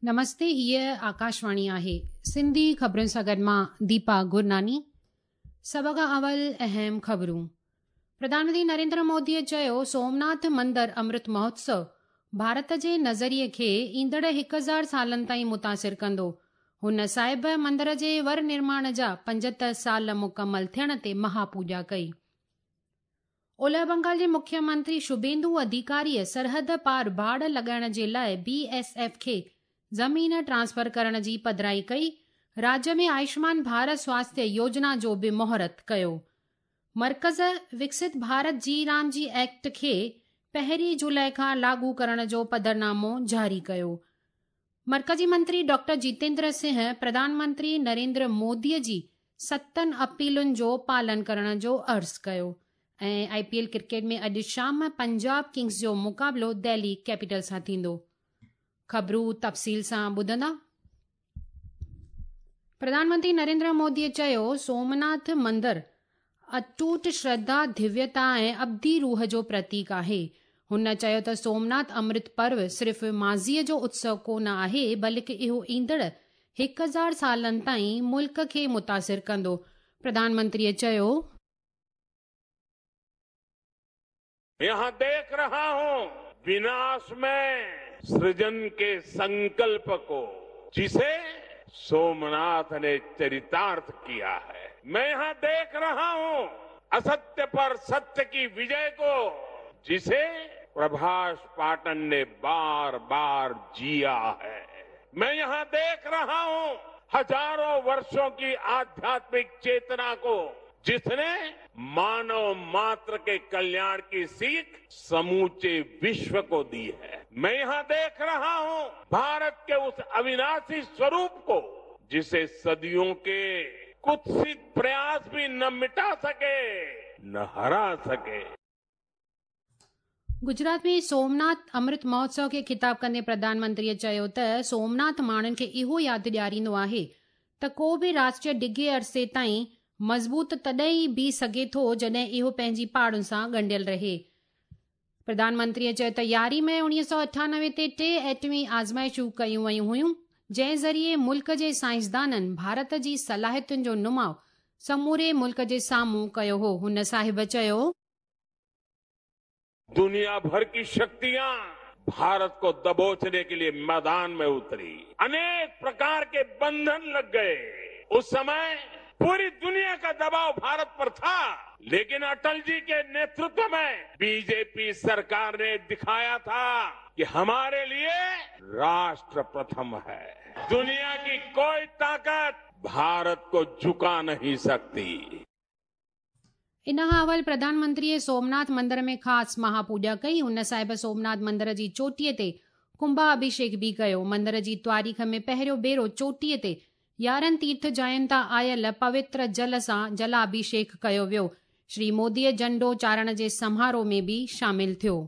نمستي هيء آڪاشواڻي آهي سنڌي خبرن سان گڏ مان ديپا گرناني سڀ کان اول اهم خبرون پرڌان منتري نريندر مودي چيو سومناٿ مندر امرت مهوتسو ڀارت جي نظريي کي ايندڙ 1000 سالن تائين متاثر ڪندو هن صاحب مندر جي ور نرماڻ جا 75 سال مڪمل ٿيڻ تي مهاپوڄا ڪئي اولهه بنگال جي مکيه منتري شڀيندو اڌيڪاريء سرحد پار باڙ لڳائڻ جي لاء بي ايس ايف کي زمين ٽرانسفر ڪرڻ جي پڌرائي ڪئي، راجيه ۾ آيوشمان ڀارت سواسٿيه يوجنا جو به مهورت ڪيو. مرڪز وڪست ڀارت جي رام جي ايڪٽ کي پهرين جولاء کان لاڳو ڪرڻ جو پڌرنامو جاري ڪيو. مرڪزي منتري ڊاڪٽر جيتيندر سنگهه پرڌان منتري نريندر مودي جي ستن اپيلن جو پالن ڪرڻ جو عرض ڪيو ۽ آء پي ايل ڪرڪيٽ ۾ اڄ شام پنجاب ڪنگز جو مقابلو دهلي ڪيپيٽل سان ٿيندو. خبرون تفصيل سان ٻڌندا. پرڌان منتري نريندر مودي چيو سومناٿ مندر اٽوٽ شرڌا، ڌويتا ۽ ابدي روح جو پرتيڪ آهي. هن چيو ته سومناٿ امرت پرو صرف ماضيء جو اتسو ڪو نه آهي بلڪ اهو ايندڙ 1000 سالن تائين ملڪ کي متاثر ڪندو. پرڌان منتريء چيو. يهان ديک رها هون وناش ۾ سرجن ڪي سنڪلپ ڪو جسي سومناٿ ني چريتارٿ ڪيا هي. مين يهان ديک رها هون اساتيه پر ستيه ڪي وجي ڪو جسي پرڀاش پاٽن ني بار بار جيا هي. مين يهان ديک رها هون هزارون ورشون ڪي آڌياتمڪ چيتنا ڪو جس ني مانو ماتر ڪي ڪلياڻ ڪي سيک سموچي وشو ڪو the هي. مين يهان ديک رها هون ڀارت ڪي اس اويناسي سوروپ ڪو جسي صديون ڪي ڪتست پرياس ڀي نه مٽا سڪي نه هرا سڪي. گجرات ۾ سومناٿ امرت مهوتسو کي خطاب ڪندي پرڌان منتريء چيو ته سومناٿ ماڻهن کي اهو ياد ڏياريندو آهي ته ڪو به راشٽر ڊگهي عرصي تائين مضبوط تڏهن ئي بيهي سگهي ٿو جڏهن اهو پنهنجي پاڙن سان ڳنڍيل رهي. پرڌان منتريء چيو ته 11 مئي 1998 تي ٽي ايٽمي آزمائشون ڪيون ويون هيون جنهن ذريعي ملڪ جي سائنسدانن ڀارت جي صلاحيتن جو نماء سموري ملڪ جي سامهون ڪيو هو. هن صاحب چيو. دنيا ڀر ڪي شڪتيان ڀارت ڪو دبوچني ڪي لئي ميدان ۾ اتري انيڪ پرڪار ڪي بنڌن لگ گئي اس سمي پوري دنيا ڪا دباء ڀارت پر ٿا ليڪن اٽل جي ڪي نيترتو ۾ بي جي پي سرڪار ني دکايا ٿا ڪي هماري لئي راشٽر پرٿم هي دنيا ڪي ڪوئي طاقت ڀارت ڪو جهڪا نهين سڪتي. ان کان اول پرڌان منتريء سومناٿ مندر ۾ خاص مها پوڄا ڪئي. هن صاحب سومناٿ مندر جي چوٽيء تي ڪنڀا اڀيشيڪ به ڪيو. مندر جي تواريخ ۾ پهريون ڀيرو چوٽيء تي 11 تيرٿ جاين تان آيل پوتر جل سان جلاڀيشيڪ ڪيو ويو. شري موديء جهنڊو چاڙهڻ جي سماروهه ۾ به شامل ٿيو.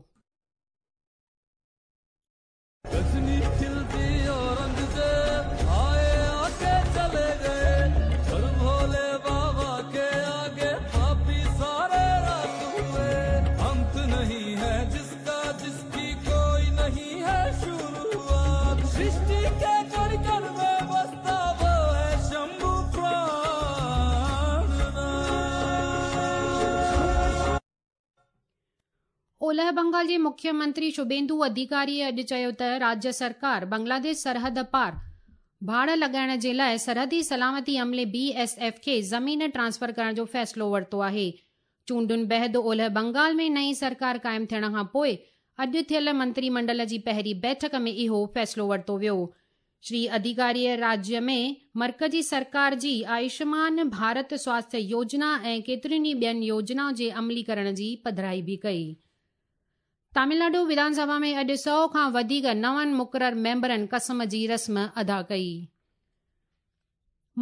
اولهه بنگال جي مکيه منتري شڀيندو اڌيڪاريء اڄ چيو ته راجيه سرڪار بنگلاديش سرحد پار ڀاڙ لڳائڻ جي لاء سرحدي سلامتي عملي بي ايس ايف کي زمين ٽرانسفر ڪرڻ جو فيصلو ورتو آهي. چونڊن بعد اولهه بنگال ۾ نئين سرڪار قائم ٿيڻ کان پوء اڄ ٿيل منتري منڊل جي پهرين بيٺڪ ۾ اهو فيصلو ورتو ويو. شري اڌيڪاريء راجيه ۾ مرڪزي سرڪار جي آيوشمان ڀارت سواسٿيه يوجنا ۽ ڪيترين ئي ٻين يوجنائن جي عملي ڪرڻ جي پڌرائي به ڪئي. تامل ناڊو وڌان سڀا ۾ اڄ سئو کان وڌيڪ نون مقرر ميمبرن قسم جي رسم ادا ڪئي.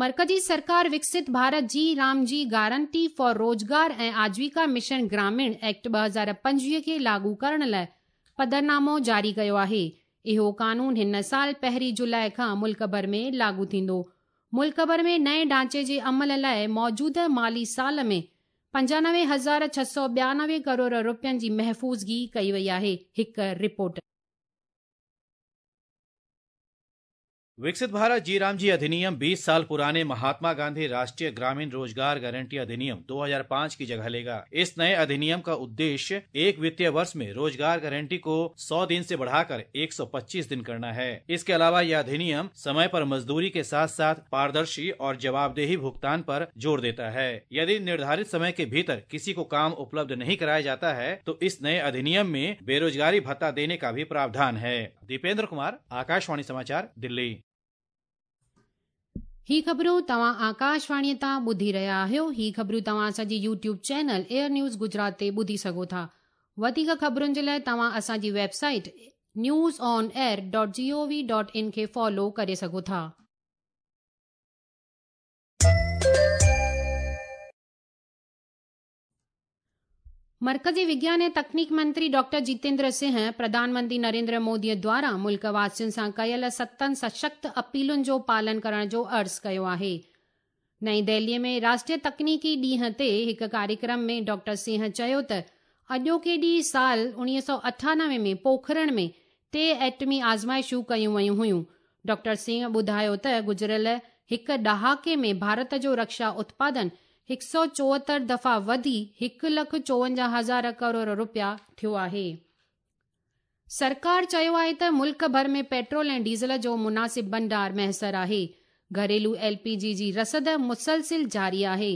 مرڪزي سرڪار وڪست ڀارت جي رام جي guarantee for Rozgar ۽ Ajeevika mission Gramin act 2025 کي لاڳو ڪرڻ لاء پڌرنامو جاري ڪيو آهي. اهو قانون هن سال پهرين جولاء کان ملڪ ڀر ۾ لاڳو ٿيندو. ملڪ ڀر ۾ نئين ڍانچي جي عمل لاء موجوده مالي سال ۾ 95692 ڪروڙ رپين جي محفوظگي ڪئي وئي آهي. هڪ رپورٽ. विकसित भारत जी राम जी अधिनियम 20 साल पुराने महात्मा गांधी राष्ट्रीय ग्रामीण रोजगार गारंटी अधिनियम 2005 की जगह लेगा। इस नए अधिनियम का उद्देश्य एक वित्तीय वर्ष में रोजगार गारंटी को 100 दिन से बढ़ाकर 125 दिन करना है। इसके अलावा यह अधिनियम समय पर मजदूरी के साथ साथ पारदर्शी और जवाबदेही भुगतान पर जोर देता है। यदि निर्धारित समय के भीतर किसी को काम उपलब्ध नहीं कराया जाता है तो इस नए अधिनियम में बेरोजगारी भत्ता देने का भी प्रावधान है। दीपेंद्र कुमार, आकाशवाणी समाचार, दिल्ली। ही ख़बरूं तव्हां आकाशवाणीअ तां ॿुधी रहिया आहियो। ही ख़बरूं तव्हां असांजी YouTube channel Air News Gujarat ते ॿुधी सघो था। वधीक ख़बरुनि जे लाइ तव्हां असांजी website news on air dot G O V dot in खे फॉलो करे सघो था। मर्कज़ी विज्ञान ऐं तकनीक मंत्री डॉक्टर जितेंद्र सिंह प्रधानमंत्री नरेंद्र मोदीअ द्वारा मुल्क वासियुनि सां कयल सतनि सशक्त अपीलुनि जो पालन करण जो अर्ज़ कयो आहे। नई दिल्लीअ में राष्ट्रीय तकनीकी ॾींहं ते हिकु कार्यक्रम में डॉक्टर सिंह चयो त अॼोके ॾींहुं साल 1998 में पोखरण में टे एटमी आज़माइशूं कयूं वयूं हुयूं। डॉक्टर सिंह ॿुधायो त गुज़िरियल हिकु ॾहाके में भारत जो रक्षा उत्पादन 174 दफ़ा वधी 1,54,000 करोड़ रुपया थियो आहे। सरकार चयो आहे त मुल्क भर में पेट्रोल ऐं डीज़ल जो मुनासिब भंडार मयसर आहे। घरेलू एलपीजी जी रसद मुसलसिल जारी आहे।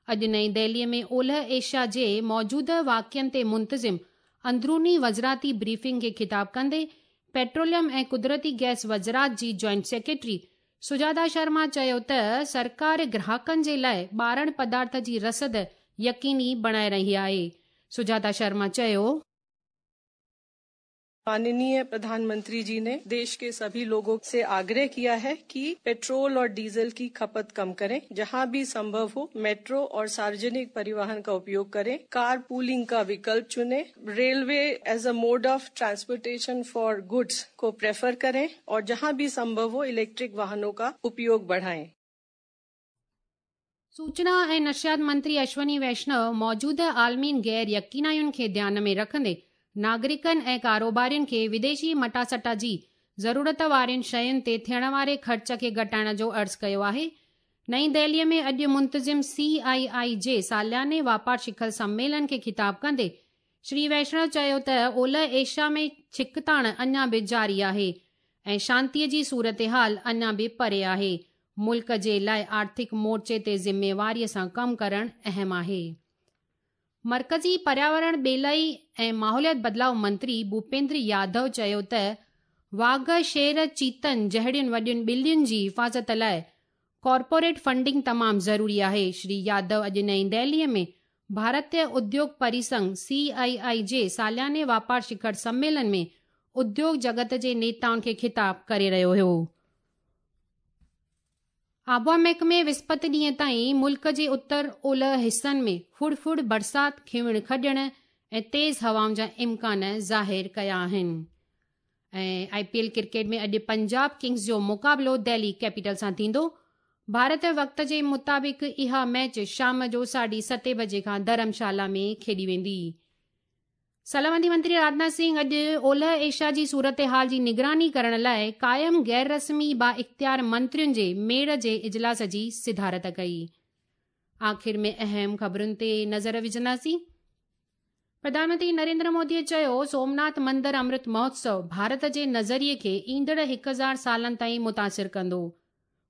अॼु नई दिल्लीअ में ओलह एशिया जे मौजूदा वाक़ियनि ते मुंतज़िम अंदरूनी वज़राती ब्रीफिंग खे ख़िताब कंदे पेट्रोलियम ऐं कुदरती गैस वज़रात जी जॉइंट सेक्रेटरी सुजाता शर्मा चयो त सरकार ग्राहकनि जे लाइ ॿारण पदार्थ जी रसद यकीनी बणाए रही आहे। सुजाता शर्मा चयो, माननीय प्रधानमंत्री जी ने देश के सभी लोगों से आग्रह किया है कि पेट्रोल और डीजल की खपत कम करें, जहां भी संभव हो मेट्रो और सार्वजनिक परिवहन का उपयोग करें, कार पूलिंग का विकल्प चुनें, railway as a mode of transportation for goods को प्रेफर करें और जहां भी संभव हो इलेक्ट्रिक वाहनों का उपयोग बढ़ाएं। सूचना ऐं नशियात मंत्री अश्वनी वैष्णव मौजूदा आलमी गैर यकीनायुनि खे ध्यान में रखंदे नागरिकनि ऐं कारोबारियुनि खे विदेशी मटासटा जी ज़रूरत वारियुनि शयुनि ते थियण वारे ख़र्च खे घटाइण जो अर्ज़ कयो आहे। नई दिल्लीअ में अॼु मुंतज़िम CII जे सालियाने वापार शिखर सम्मेलन खे ख़िताब कंदे श्री वैष्णव चयो त ओलह एशिया में छिकताण अञा बि जारी आहे ऐं शांतीअ जी सूरत हाल अञा बि परे आहे। मुल्क जे लाइ आर्थिक मोर्चे ते ज़िम्मेवारीअ सां कमु करणु अहम आहे। मर्कज़ी पर्यावरण ॿेलाई ऐं माहौलियात बदिलाव मंत्री भूपेंद्र यादव चयो त वाघ, शेर, चीतन जहिड़ियुनि वॾियुनि ॿिलियुनि जी हिफ़ाज़त लाइ कॉर्पोरेट फंडिंग तमामु ज़रूरी आहे। श्री यादव अॼु नई दिल्लीअ में भारतीय उद्योग परिसंघ CII जे सालियाने वापार शिखर सम्मेलन में उद्योग जगत जे नेताउनि खे ख़िताब करे रहियो हुयो। आबहावा महकमे विस्पत ॾींहं ताईं मुल्क जे उत्तर ओलह हिसनि में फुड़फुड़ बरसाति, खिवण खॼण ऐं तेज़ हवाउनि जा इम्कान ज़ाहिर कया आहिनि। ऐं IPL cricket में अॼु पंजाब किंग्स जो मुक़ाबिलो दिल्ली कैपिटल सां थींदो। भारत वक़्त जे मुताबिक़ इहा मैच शाम जो 7:30 बजे खां धर्मशाला में खेॾी वेंदी। सलामती मंत्री राजनाथ सिंह अॼु ओलह एशिया जी सूरत हाल जी निगरानी करण लाइ क़ाइम गैर रस्मी बा इख़्तियार मंत्रियुनि जे मेड़ जे इजलास जी सिदारत कई। आख़िर में अहम ख़बरुनि ते नज़र विझंदासीं। प्रधानमंत्री नरेंद्र मोदीअ चयो, सोमनाथ मंदर अमृत महोत्सव भारत जे नज़रिए खे ईंदड़ 1000 सालनि ताईं मुतासिर कंदो।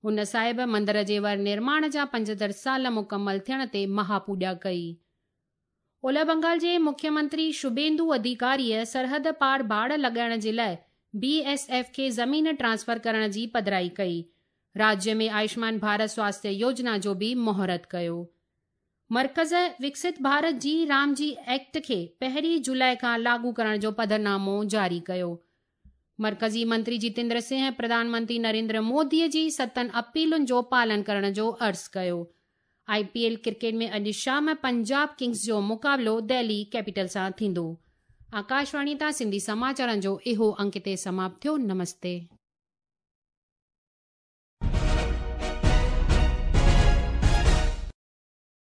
हुन साहिब मंदर जे वर निर्माण जा 75 साल मुकमल थियण ते महापूॼा कई। ओलह बंगाल जे मुख्यमंत्री शुभेंदु अधिकारीअ सरहद पार बाड़ लॻाइण जे लाइ BSF खे ज़मीन ट्रांसफर करण जी पधराई कई। राज्य में आयुष्मान भारत स्वास्थ्य योजना जो बि मुहूर्त कयो। मर्कज़ विकसित भारत जी राम जी एक्ट खे 1 जुलाई खां लागू करण जो पधरनामो जारी कयो। मर्कज़ी मंत्री जितेंद्र सिंह प्रधानमंत्री नरेंद्र मोदीअ जी 7 अपीलुनि जो पालन करण जो अर्ज़ कयो। IPL cricket में अॼु शाम पंजाब किंग्स जो मुक़ाबिलो दिल्ली कैपिटल सां थींदो। आकाशवाणी तां सिंधी समाचारनि जो इहो अंक हिते समाप्त थियो। नमस्ते।